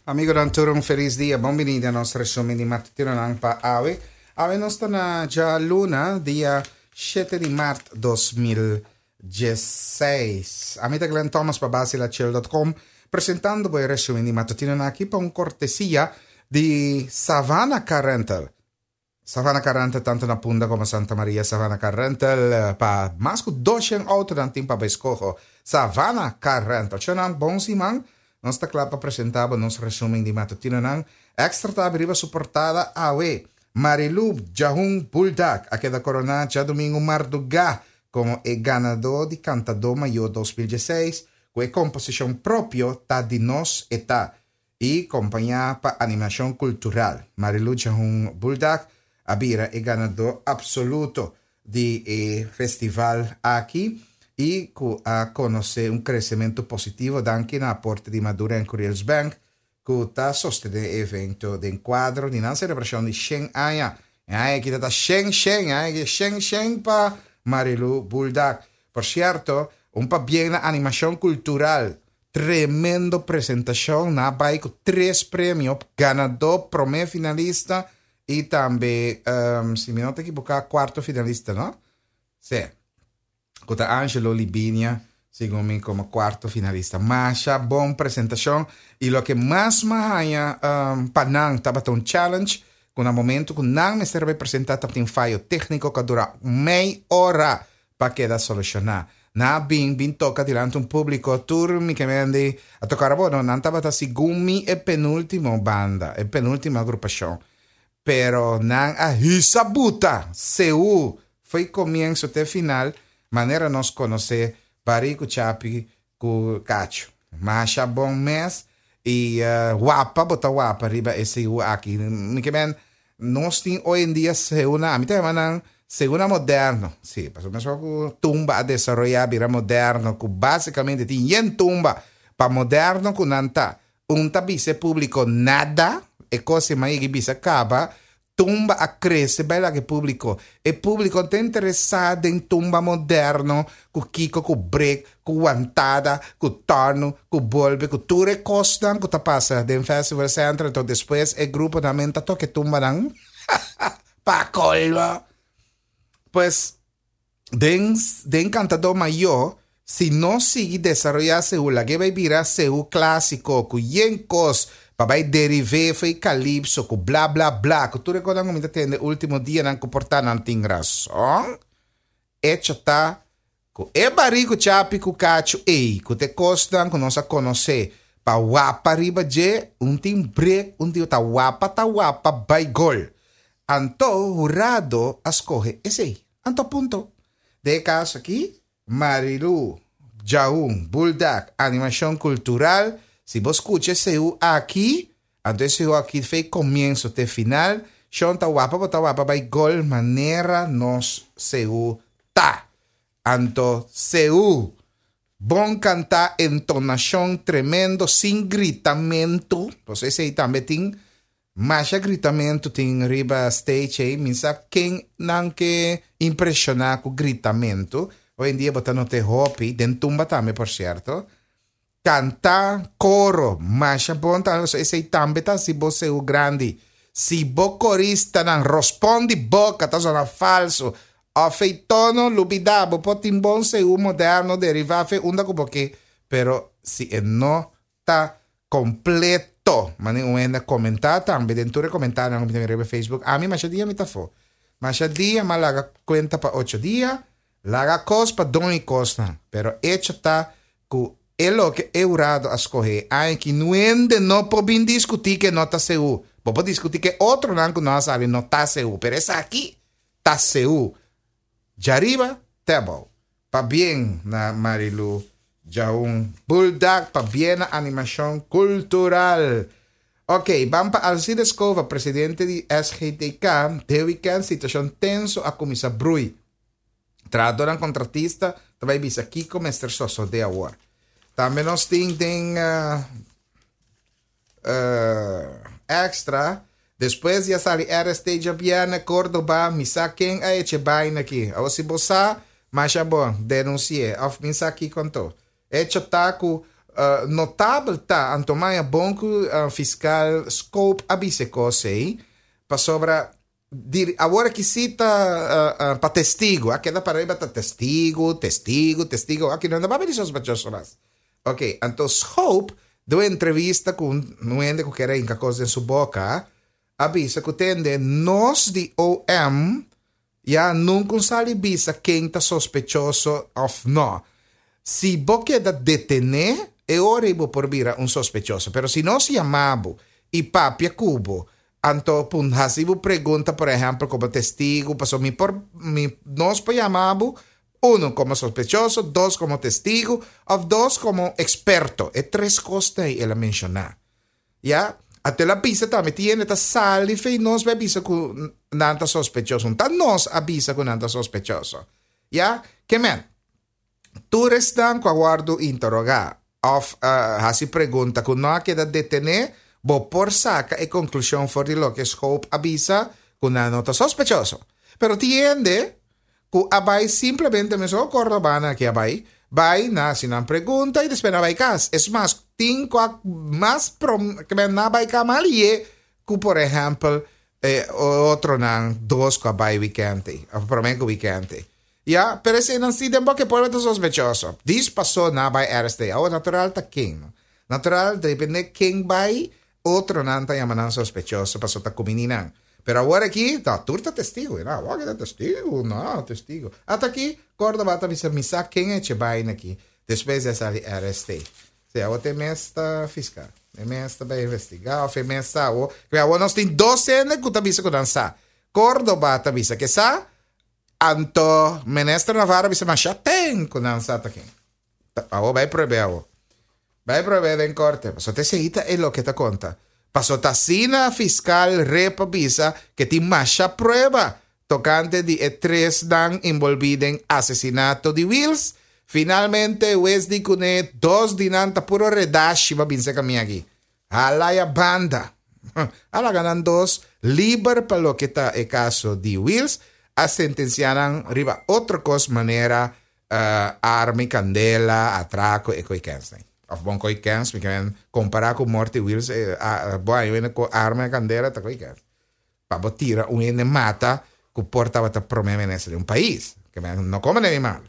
Amigonan tur un felis dia, bon bini den nos resumen di matutinonan pa awe. Awe nos ta na djaluna, dia shete di mart 2016. Ami ta Glenn Thomas pa basilachel.com, presentando bo e resumen di matutinonan aki pa un kortesia di Savannah Car Rental. Savannah Car Rental tanto na Punda como Santa Maria Savannah Car Rental pa mas cu 200 autonan tin pa bo escoho Savannah Car Rental Chonan bon siman nos ta cla pa presenta bo nos resumen di matutinonan Extra ta habri riba su portada awe Marilou Jahun Buldak a keda corona djadomingo marduga como e ganador di Cantador Mayor 2016 cu e composicion propio Ta di nos e ta i kompañá pa animashon kultural. Marilu Jahun Buldak a bira e ganadó apsoluto di e festival aki i ku a konosé un kresementu positivo danki na aporte di Madura en Curiels Bank ku ta sostené e evento den kuadro di nan selebrashon di shen aña. E aña aki ta ta shen shen, e aña aki shen shen pa Marilu Buldak. Por sierto, un pabien na animashon kultural Tremendo presentacion, nan a bay cu tres premio, ganador, prome finalista y tambe, si mi no ta equivoca, cuarto finalista, no? Si, cu ta Angelo Libinia, segun mi, como cuarto finalista. Masha bon presentacion y loke mas m'a haya pa nan tabata un challenge, cu na momento cu nan mester a bay presenta tabatin fayo tecnico cu a dura mei ora pa keda soluciona. Nan a bin bin toca dilanti un publico tur mi ke mende a toca ora bo no nan tabata segun mi e penultimo banda e penultimo agrupacion pero nan a hisa buta seú fo'i comienzo te final manera nos conoce Bari cu Chapi cu Cacho masha bon mes y wapa bo ta wapa riba e seú aki mi ke men Nos tin hoy en dia seuna, ami ta yama nan seuna moderno. Sí, pasobra mesora ku tumba a desaroyá bira moderno, ku básikamente tin yen tumba pa moderno ku nan ta. Un ta bisa e públiko nada, e kos ei m'a yega bisa kaba, tumba a krese bai laga e públiko. E públiko no ta interesá den tumba moderno ku kiko ku brek, ku wantada, ku tòrnu, ku bolbe, ku tur e kosnan ku ta pasa den Festival Center, enton despues e gruponan men ta toka e tumbanan pa kolmo. Pues den den Kantadó Mayó si nos sigui desaroyá seú lag'é bai bira seú klásiko ku yen kos pa bai deriv'é fo'i kalipso ku bla bla bla ku tur e kosnan ku mi ta tende último dianan ku por ta nan tin rason. Echo ta ku e barí ku chapi ku kachu ei ku ta e kosnan ku nos a konosé pa wapa riba dje, un tin brek, un tin ta wapa ta wapa bai gol. Anto hurado a skohe esei. Anto punto. Den e kaso aki, Marilou, Djaun, Buldak, Animashon Kultural, si bo skucha e seú aki, Anto e sehu aki fei komienso te final, shon ta wapa bo ta wapa bai gol manera nos sehu ta. Anto sehu bon kanta entonashon tremendo sin gritamentu, pasobra esei tambe tin masha gritamentu tin riba stage ei, mi sa ken nan ke impreshona ku gritamentu, hoy en dia bo ta nota e hopi, den tumba tambe por sierto. Kanta koro masha bon tambe pasobra esei tambe ta hasi bo seu grandi. Si bo koristanan rospon di boka ta sona falso òf ei tono lubidá bo por tin bon seu moderno derivá fe unda ku bo ke pero si e no ta kompleto manera un hende a komentá tambe den tur e komentarionan ku mi ta mira riba Facebook ami masha dia mi ta afó masha dia mi a laga kuenta pa ocho dia laga kos pa don i kosnan pero echo ta Ku e loke e hurado a skohé aña ki nuende no por bin diskutí ku e no ta seú. Bo por diskutí ku e otronan ku no a sali no ta seú, pero esaki ta seú. Djariba te abou. Pabien na Marilu Djaun Buldak, pabien na Animashon Kultural. Ok, ban pa Alcides Cova, presidente di SGTK, den wikènt situashon tenso a kuminsá brui. Trahadornan kontratista ta bai bisa kiko mester sosodé awor. Tambe nos tin den extra, despues di a sali RST djabièrnè Córdoba, mi sa ken a echa e baina aki. Awor si bo sa, masha bon, denunsi'é òf mi sa kiko anto. Echo ta ku. Notabel ta anto maya bon ku fiskal Scope a bisa e kos ei, pasobra di awor aki si ta pa testigu, a keda para riba ta testigu, testigu, testigu, aki no ta papia di sospechoso mas. Ok, anto Scope den un entrevista ku un hende ku kier a hinka kos den su boka, a bisa ku tende nos di OM Ya nunca un sali bisa ken ta sospechoso of no. Si bo keda detene, e ora ei bo por bira un sospechoso. Pero si nos yama bo y papia cu bo, anto pun haci bo pregunta, por ehempel, como testigo, pasobra mi por, mi, nos por yama bo, uno, como sospechoso, dos, como testigo, of dos, como experto. E tres cosnan ei el a menciona. Ya, anto el a bisa tambe, tin hende ta sali fei nos bai bisa ku nan ta sospechoso. Ta nos a bisa ku nan ta sospechoso. Ya, ke men, tur esnan ku a wòrdu interogá òf hasi pregunta ku no a keda detené, bo por saka e konklushon for di loke Schoop a bisa ku nan no ta sospechoso. Pero tin hende ku a bai simplemente mesun Cordobana aki a bai, bai na hasi nan pregunta i despues nan a bai kas. Es mas, tin ku a mas prom ke men nan a bai kas mas lié ku por ehèmpel e otronan dos ku a bai wikènt ei, òf promé ku wikènt ei. Ya, pero eseinan si den boka e pueblo ta sospechoso. Dis pasó nan a bai arest'é. Awor natural ta ken, no? Natural depende ken bai, otronan ta yama nan sospechoso pasobra ta kumini nan. Pero awor aki, no, tur ta testigo. No, awor aki ta testigo, no, testigo. Ata aki, Córdoba ta bisa, mi sa ken eche baina aki, despues di a sali RST. Si, awor ta e mes ta fiscal. E mes ta bai investiga, of e mes sa awor. Kibé awor nos tin dos hende ku ta bisa ku nan sa. Córdoba ta bisa ke sa, anto Minister Navarro a bisa masha ten ku nan sa ta ken. Awor bai pruebe awor. Bai pruebe den korte. Pasobra ta esei ta e loke ta konta. Pasobra ta asina fiskal Rep a bisa ke tin masha prueba tokante di e tresnan enbolbí den asesinato di Wiels. Finalmente wes di kuné dos di nan ta puro redashi pa binse kami aki. Hala ya banda. A laga nan dos liber pa loke ta e kaso di Wiels. A sentensiá nan riba otro kos manera Arma i kandela, atrako e koi kens nei. Of bon koi kens, mi ke kompara ku Morty Wheels, bo a wende ku arma i kandela ta koi kens. Pa bo tira un hende mata ku por tabata prome minister di un pais. Ke men no kome den mi malo.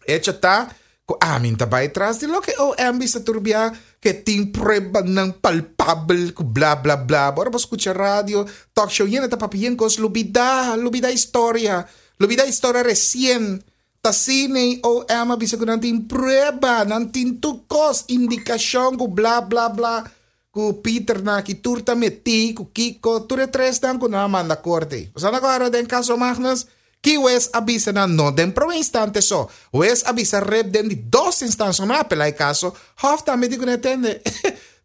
Echo ta ku ami ta bai tras di loke OM bisa tur bia ke tin pruebanan palpabel ku bla bla bla. Bo ora bo skucha radio, talk show, hende ta papia yen kos lubida, lubida historia. Lubida historia resien. Ta asina OM a bisa ku nan tin prueba, nan tin tur kos, indikashon ku bla bla bla, ku Pieter nan aki tur ta metí, ku kiko, tur e tresnan ku nan a manda korte. Bo sa nan ku agarra den kaso Magnus? Ki wes a bisa nan no den prome instante so. Wes a bisa rep den di dos instansia, no a apelá e kaso, Hof tambe di ku nan e tende.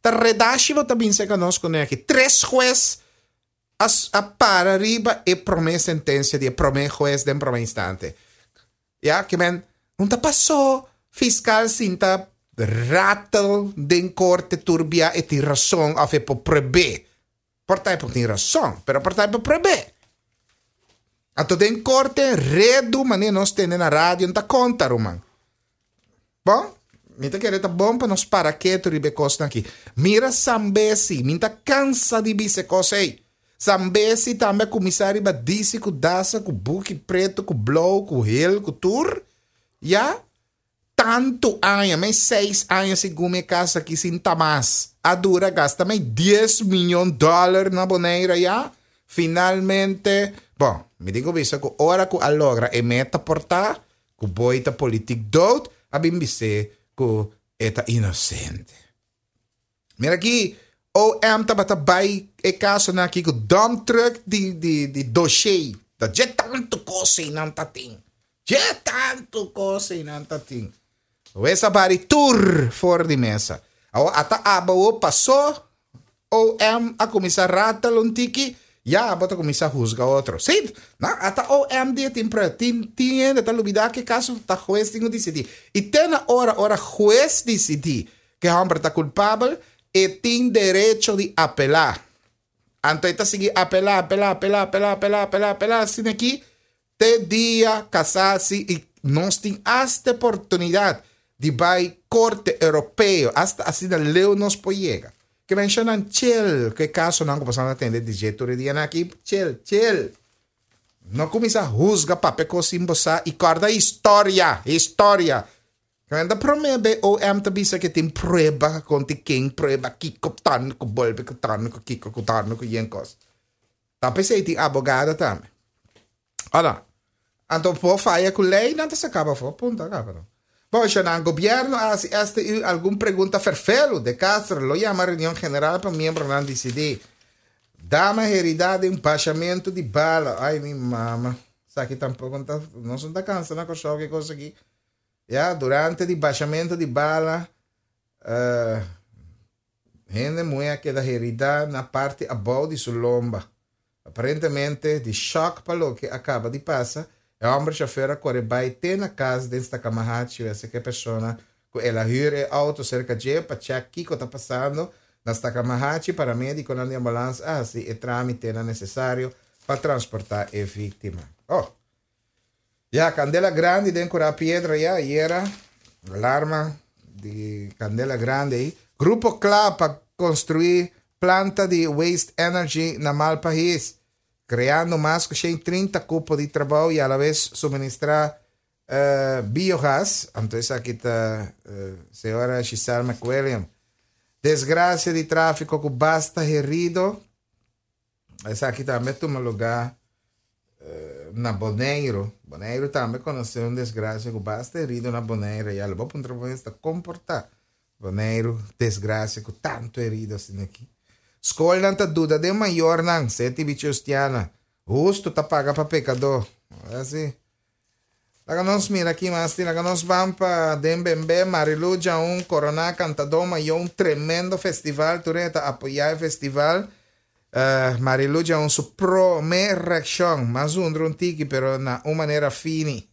Ta redashi bo ta bin seka nos kuné aki. Tres hues a a para riba e prome sentencia di e prome hues den prome instante. Ya, ke men, un ta paso fiscal sinta rattle den corte tur bia e tin rason of e por pruebe. Por ta e por tin rason, pero por ta e por pruebe. Anto den corte redu mane nos tende na radio no ta conta ruman. Bon, mi ta kere ta bon pa nos para ketu riba e kosnan aki. Mira Sambesi, mi ta kansa di bisa e kos ei. Sambesi tambe a kuminsá riba disi ku dasa, ku buki pretu, ku blou, ku hel, ku tur. Ya, tantu aña, mei seis aña segun mi e kas aki sin ta mas. A dura gasta mei dies miyon dòler na Bonaire ya. Finalmente, bon, mi tin ku bisa ku ora ku a logra e meta por ta, Ku boy ta politik dood a bin bis'é ku e ta inosente. Mira aki OM tabata bai e kasonan aki ku dump truck di di di doshé. Ta dje tantu kos einan ta tin. Dje tantu kos einan ta tin. Wes a bari tur for di mesa. Awor ata aba pasó OM a kuminsá ratel un tiki, ya abo ta kuminsá husga otro. Sí, no, ata OM dia tin prueba. Tin, tin hende ta lubidá ke kaso ta hues tin ku disidí. I te na ora, ora hues disidí ke hòmber ta kulpabel, e tin derecho di apelá. Anto e ta sigui apelá, apelá, apelá, apelá, apelá, apelá, apelá, asina aki te dia kasasi i nos tin asta oportunidat. di bai Korte Europeo, asta asina leu nos por yega. Ke menshonan chill ku e kasonan ku boso a tende di dje tur e dianan aki, chill, chill. No kuminsá husga papia kos sin bo sa i kòrda historia, historia. Kende ta promé be OM ta bisa ke tin prueba kontra ken, prueba kiko tan ku bolbe ku tan ku kiko ku tan ku yen kos. Ta p'esei tin abogado tambe. Ora, anto por faya ku lei nan ta saka bo afó, punto a kaba no. Bon, nan gobierno a hasi STU algun pregunta ferfelu, De Castro lo yama reunion general pa miembronan disidí. Dama heridá den bashamentu di bala, ai mi mama, esaki tampoko no ta, nos no ta kansa na Kòrsou ku e kos aki. Ya, durante di bashamentu di bala, Hende muhé a keda heridá na parti abou di su lomba. Aparentemente di shòk pa loke a kaba di pasa, e hòmber shofèr a kore bai te na kas den Stakamahachi wese ku e persona ku el a hür e outo serka dje pa chèk kiko ta pasando. Na Stakamahachi paramedikonan di ambulans a hasi e trámitenan nesesario pa transportá e víktima. Oh! Ya, kandela grandi den Kurá Piedra ya ayera. Alarma di kandela grandi ei. Grupo kla pa konstruí planta di waste energy na Malpahis, kreando mas ku 130 kupo di trabou i alabes suministrá biogas. Anto esaki ta señora Giselle McWilliam. Desgrasia di tráfiko ku basta herido. Esaki tambe a tuma lugá na Boneiru. Boneiru tambe konosé un desgrasia ku basta herido na Boneiru. Ya lo bo puntra bo mes ta kon por ta Boneiru desgrasia ku tantu herido asina aki. Skolnan ta duda den mayornan, Seti Bichiustiana. Hustu ta paga pa pekadó. Así. Laga nos mira ki mas tin. Laga nos ban pa den Bembe, Marilu Djaun, Koroná Kantadó Mayó un tremendo festival. Tur hende ta apoyá e festival. Marilu Djaun su promé reakshon, mas zundra un tiki pero na un manera fini.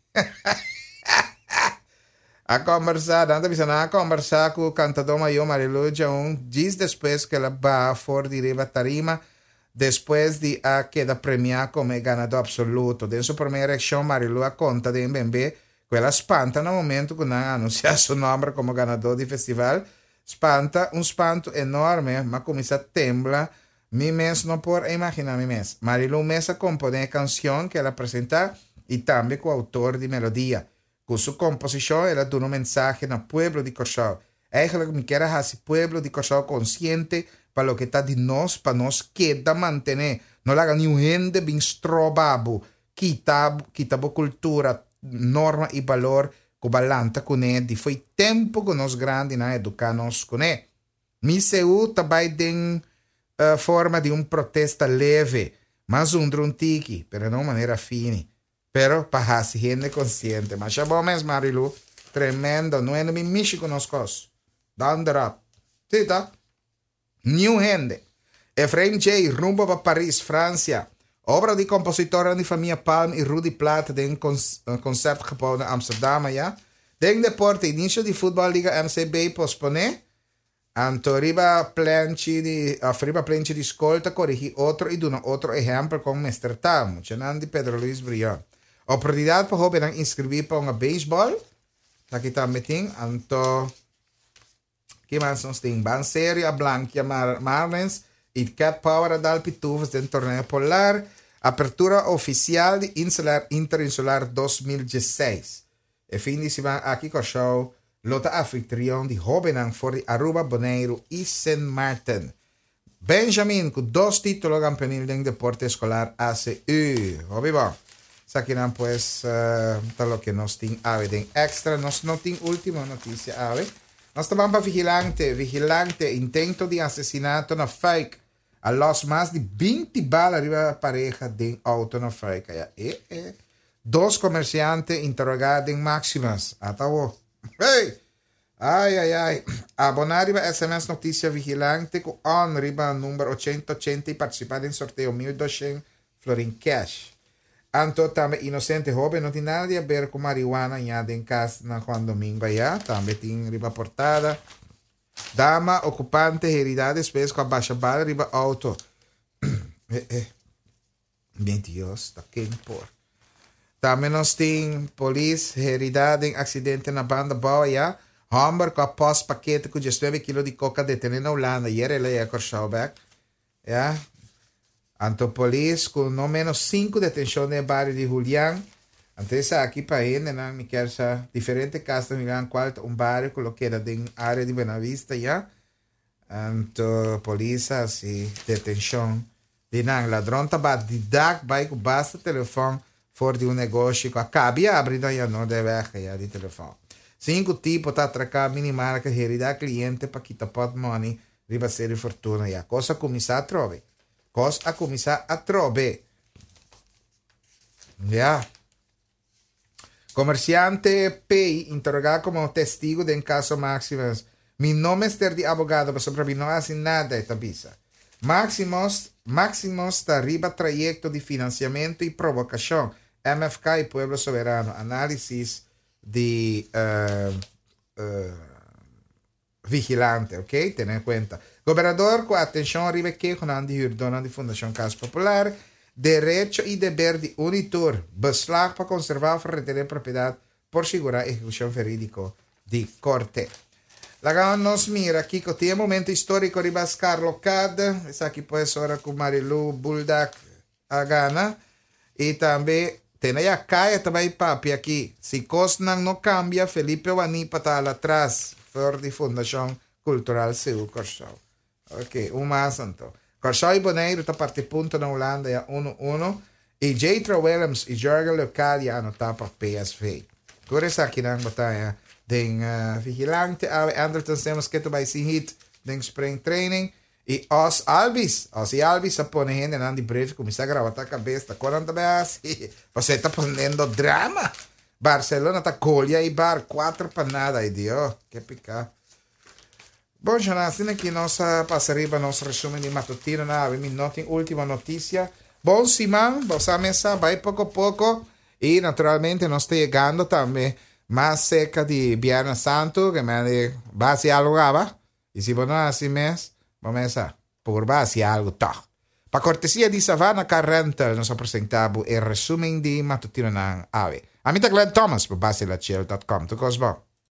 A kòmbersá, nan ta bisa nan a kòmbersá ku Kantadó Mayó Marilu Djaun djis despues ku el a baha for di riba tarima Despues di a keda premiá komo e ganadó apsoluto, den su promé reakshon Marilu a konta den Bembe ku el a spanta na momentu ku nan a anunsiá su nòmber komo ganadó di festival. Spanta, un spantu enorme, m'a kuminsá tembla, mi mes no por a imaginá mi mes. Marilu mes a komponé e kansion ku el a presentá i tambe ku outor di melodia. Ku su komposishon el a duna un mensahe na pueblo di Kòrsou. Eigenlijk mi kier a hasi pueblo di Kòrsou konsiente pa loke ta di nos pa nos keda mantené. No laga niun hende bin stroba bo, kita kita bo kultura, norma i balor ku bo a lanta kuné di fo'i tempu ku nos grandinan a eduká nos kuné. Mi seú ta bai den forma di un protesta leve, mas zundra un tiki, pero na un manera fini. Pero pa hasi hende konsiente. Masha bon mes Marilu. Tremendo. No hende mi mishi ku nos kos. Donder op. Si ta. Niun hende. Efraim J. rumbo pa Paris, Francia. Obra di kompositornan di famia Palm i Rudy Plaat den Concertgebouw na Amsterdam aya. Den deporte, inisio di Futbòl Liga MCB posponé. Anto riba plenchi di of riba plenchi di skol ta korigí otro i duna otro ehèmpel kon mester ta, muchanan di Pedro Luis Brion. Oportunidat pa hóbennan inskribí pa hunga beisbòl, taki tambe tin. Anto ki mas nos tin? Ban Serio a blankia Marlins i Cat Power a dal Pitufos den torneo polar. Apertura ofisial di Insular Interinsular 2016. E fin di siman aki Kòrsou lo ta anfitrion di hóbennan for di Aruba, Boneiru i Sint Maarten. Benjamin ku dos título kampeonil den deporte eskolar ACU. Hopi bon. Esakinan pues ta loke nos tin awe den Extra. Nos no tin último notisia awe. Nos ta ban pa Vigilante. Vigilante, intento di asesinato na Fuik. A lòs mas di 20 bala riba pareha den outo na Fuik. Aya e e. Dos komersiante interogá den Maximus. Ata awo. Hey! Ai ai ai. Aboná riba sms Notisia Vigilante ku on riba number ochenta ochenta i partisipá den sorteo 1200 florin cash. Anto tambe Inocente Hoben no tin nada di haber ku marihuana ña den kas na Juan Domingo ayá. Tambe tin riba portada. Dama okupante heridá despues ku a basha bala riba outo. Eh eh. Mi Dios, ta ken por. Tambe nos tin polis herida den accidente na banda bou aya. Hòmber ku a pòst pakete ku diesnuebe kilo di koka detené na Hulanda yera el a yega Kòrsou bèk. Ya. Anto polis ku no ménos sinku detenshon den e bario di Julian. Anto esaki pa hendenan mi kier sa diferente kas na Julian kual ta un bario ku lo keda den área di Buenavista ya. Anto polis a hasi detenshon di nan. Ladron ta bat di dak bai ku basta telefòn for di un negoshi ku a kabi abri na Janodeweg ya di telefòn. Sinku tipo ta atraká minimarket heridá kliente pa kita pòtmòni riba Serie Fortuna ya. Kos a kuminsá atrobe. Kos a kuminsá atrobe. Ya. Komersiante P interogá komo testigu den kaso Maximus. Mi no mester di abogado pasobra mi no hasi nada, e ta bisa. Maximus Maximus ta riba trayekto di finansiamentu i provokashon. MFK i Pueblo Soberano. Análisis di Vigilante, ok? Tene kuenta. Gobernador ku atenshon riba e kehonan di hürdónan di Fundashon Kas Popular, derecho i deber di un i tur, beslag pa konservá òf retené propiedat por sigurá ehekushon verídiko di korte. Laga nos mira kiko tin e momento históriko riba Skarlokad. Esaki pues ora ku Marilou Buldak a gana. I tambe tene ya kaya ta bai papia aki. Si kosnan no kambia Felipe Wanipa ta hala tras for di Fundashon Kultural Seú Kòrsou. Ok, un mas anto. Kòrsou i Boneiru ta parti punto na Hulanda ya unu unu i Jethro Willems i Jurgen Leocadia a anotá pa PSV. Tur esakinan bo ta haña den Vigilante awe. Andrelton Simmons ke ta bai sin hit den spring training. I Os Albies, Ozzie Albies a pone hendenan di breve kuminsá grawatá kabes ta kon nan ta bai hasi, pasobra e ta poniendo drama. Barcelona ta golia Eibar 4-0, ay Dios, ke piká. Bon shana, asina ki nos a pasa riba nos resumen di matutino na awe, mi no tin ultimo notisia. Bon siman, bo sa mesa, bai poko poko i naturalmente nos ta yegando tambe mas serka di Biernes Santu, ke men ba hasi algu kaba. I si bo no hasi mes, bo mes a purba hasi algu tòg. Pa kortesia di Savannah Car Rental nos a presentá bo e resumen di matutinonan awe. Ami ta Glenn Thomas pa Basilachel dot com. Tur kos bon.